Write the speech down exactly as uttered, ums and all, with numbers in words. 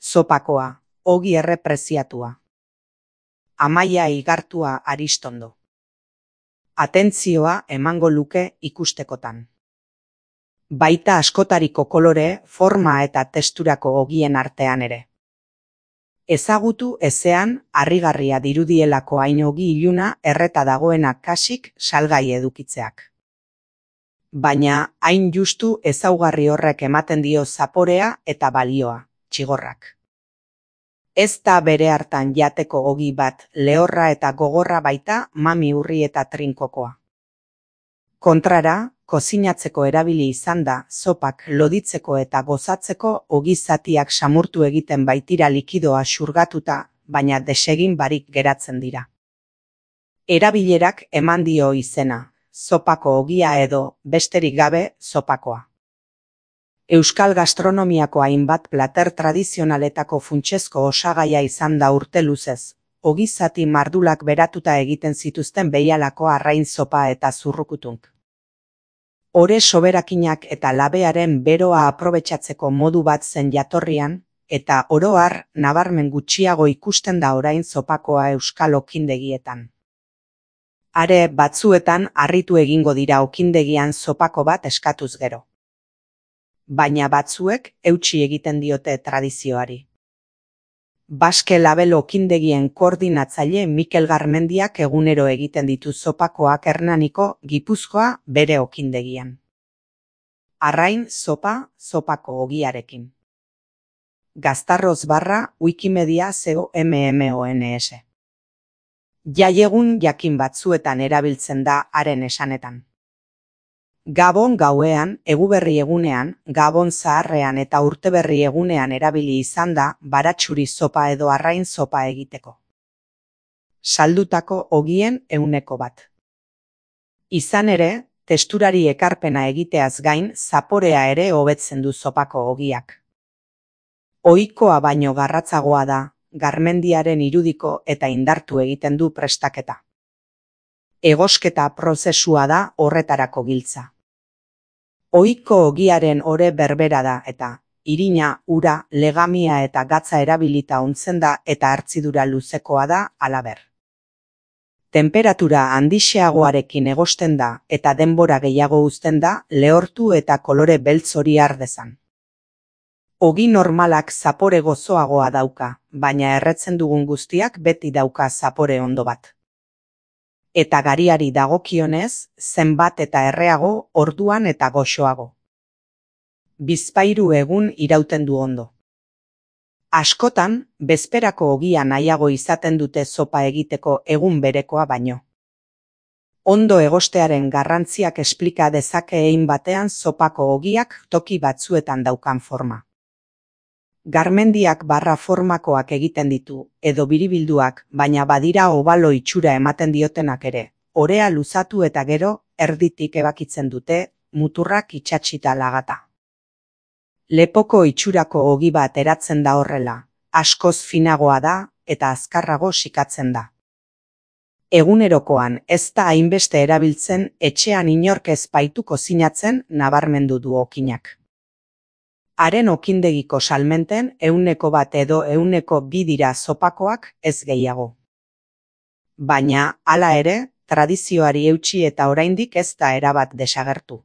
Zopakoa, ogi errepreziatua. Amaia igartua Aristondo. Atentzioa emango luke ikustekotan. Baita askotariko kolore, forma eta testurako ogien artean ere. Ezagutu ezean harrigarria dirudielako hain ogi iluna erreta dagoena kasik salgai edukitzeak. Baina hain justu ezaugarri horrek ematen dio zaporea eta balioa, txigorrak. Ez da bere hartan jateko ogi bat, lehorra eta gogorra baita mami urri eta trinkokoa. Kontrara, kozinatzeko erabili izan da, zopak loditzeko eta gozatzeko ogi zatiak samurtu egiten baitira likidoa xurgatuta, baina desegin barik geratzen dira. Erabilerak eman dio izena, zopako ogia edo, besterik gabe, zopakoa. Euskal gastronomiako hainbat plater tradizionaletako funtsezko osagaia izan da urte luzez, ogi zati mardulak beratuta egiten zituzten behialako arrain zopa eta zurrukutunk. Ore soberakinak eta labearen beroa aprobetxatzeko modu bat zen jatorrian, eta oro har nabarmen gutxiago ikusten da orain zopakoa euskal okindegietan. Are batzuetan harritu egingo dira okindegian zopako bat eskatuz gero. Baina batzuek eutsi egiten diote tradizioari. Baske Label okindegien koordinatzaile Mikel Garmendiak egunero egiten ditu zopakoak Hernaniko, Gipuzkoa, bere okindegian. Arrain zopa, zopako ogiarekin. Gaztarroz barra Wikimedia COMMONS. Jaiegun jakin batzuetan erabiltzen da haren esanetan. Gabon gauean, eguberri egunean, Gabon zaharrean eta urteberri egunean erabili izan da baratxuri zopa edo arrain zopa egiteko. Saldutako ogien ehuneko bat. Izan ere, testurari ekarpena egiteaz gain, zaporea ere hobetzen du zopako ogiak. Ohikoa baino garratzagoa da, Garmendiaren irudiko eta indartu egiten du prestaketa. Egosketa prozesua da horretarako giltza. Ohiko ogiaren ore berbera da eta, irina, ura, legamia eta gatza erabilita ontzen da eta hartzidura luzekoa da halaber. Temperatura handixeagoarekin egosten da eta denbora gehiago uzten da lehortu eta kolore beltz hori har dezan. Ogi normalak zapore gozoagoa dauka, baina erretzen dugun guztiak beti dauka zapore ondo bat. Eta gariari dagokionez, zenbat eta erreago, orduan eta goxoago. Bizpahiru egun irauten du ondo. Askotan, bezperako ogia nahiago izaten dute zopa egiteko egun berekoa baino. Ondo egostearen garrantziak esplika dezake hein batean zopako ogiak toki batzuetan daukan forma. Garmendiak barra formakoak egiten ditu, edo biribilduak, baina badira obalo itxura ematen diotenak ere, orea luzatu eta gero, erditik ebakitzen dute, muturrak itsatsita lagata. Lepoko itxurako ogi bat eratzen da horrela, askoz finagoa da, eta azkarrago sikatzen da. Egunerokoan ez da hainbeste erabiltzen, etxean inork ez baitu kozinatzen nabarmendu du okinak. Haren okindegiko salmenten ehuneko bat edo ehuneko bi dira zopakoak ez gehiago. Baina, hala ere, tradizioari eutsi eta oraindik ez da erabat desagertu.